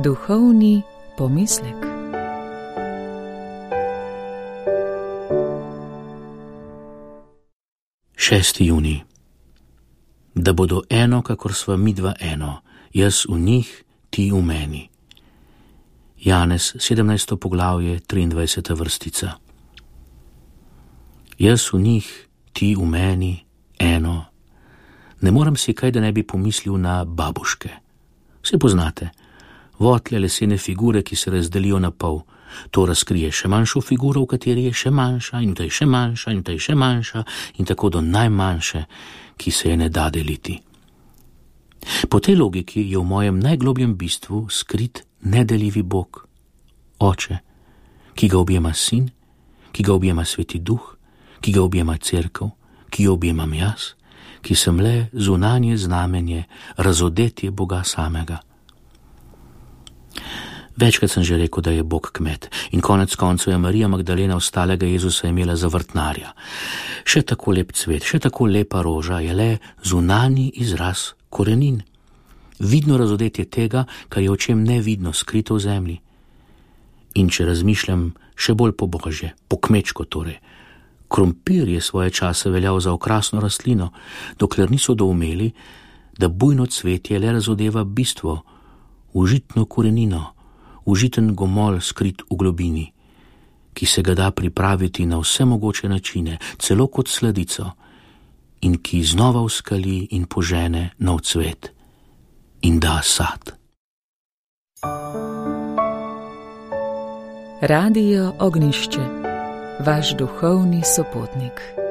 Duhovni pomislek. Šesti junij. Da bodo eno, kakor sva midva eno, jaz v njih, ti v meni. Janez, 17. poglavje, 23. vrstica. Jaz v njih, ti v meni, eno. Ne morem si kaj, da ne bi pomislil na babuške. Vse poznate. Votle lesene figure, ki se razdelijo na pol. To razkrije še manjšo figuro, v kateri je še manjša in v tej še manjša in v tej še manjša in tako do najmanjše, ki se je ne da deliti. Po tej logiki je v mojem najglobjem bistvu skrit nedeljivi Bog, Oče, ki ga objema Sin, ki ga objema Sveti Duh, ki ga objema Cerkev, ki jo objemam jaz, ki sem le zunanje znamenje, razodetje Boga samega. Večkrat sem že rekel, da je Bog kmet in konec koncev je Marija Magdalena ostalega Jezusa imela za vrtnarja. Še tako lep cvet, še tako lepa roža je le zunanji izraz korenin. Vidno razodetje tega, kar je očem nevidno, skrito v zemlji. In če razmišljam še bolj po božje, po kmečko torej, krompir je svoje čase veljal za okrasno rastlino, dokler niso doumeli, da bujno cvetje le razodeva bistvo, užitno korenino, užiten gomolj skrit v globini, ki se ga da pripraviti na vse mogoče načine, celo kot sladico, in ki znova uskali in požene nov cvet in da sad. Radio Ognjišče, vaš duhovni sopotnik.